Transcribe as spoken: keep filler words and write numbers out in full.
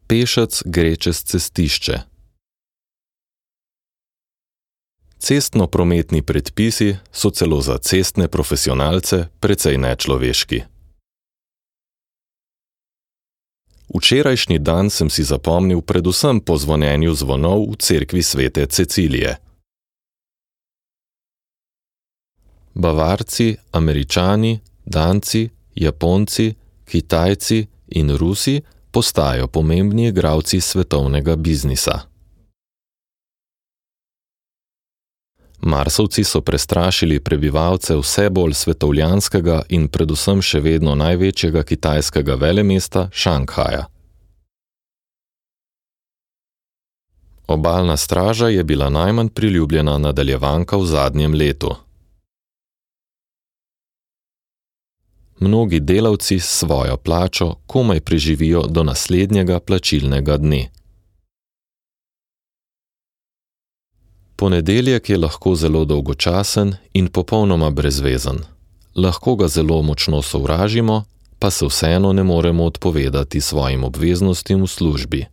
Pešec gre čez cestišče. Cestno-prometni predpisi so celo za cestne profesionalce precej nečloveški. Včerajšnji dan sem si zapomnil predvsem po zvonjenju zvonov v cerkvi svete Cecilije. Bavarci, Američani, Danci, Japonci, Kitajci in Rusi postajajo pomembni igralci svetovnega biznisa. Marsovci so prestrašili prebivalce vse bolj svetovljanskega in predvsem še vedno največjega kitajskega velemesta Šanghaja. Obalna straža je bila najmanj priljubljena nadaljevanka v zadnjem letu. Mnogi delavci s svojo plačo komaj preživijo do naslednjega plačilnega dne. Ponedeljek je lahko zelo dolgočasen in popolnoma brezvezen. Lahko ga zelo močno sovražimo, pa se vseeno ne moremo odpovedati svojim obveznostim v službi.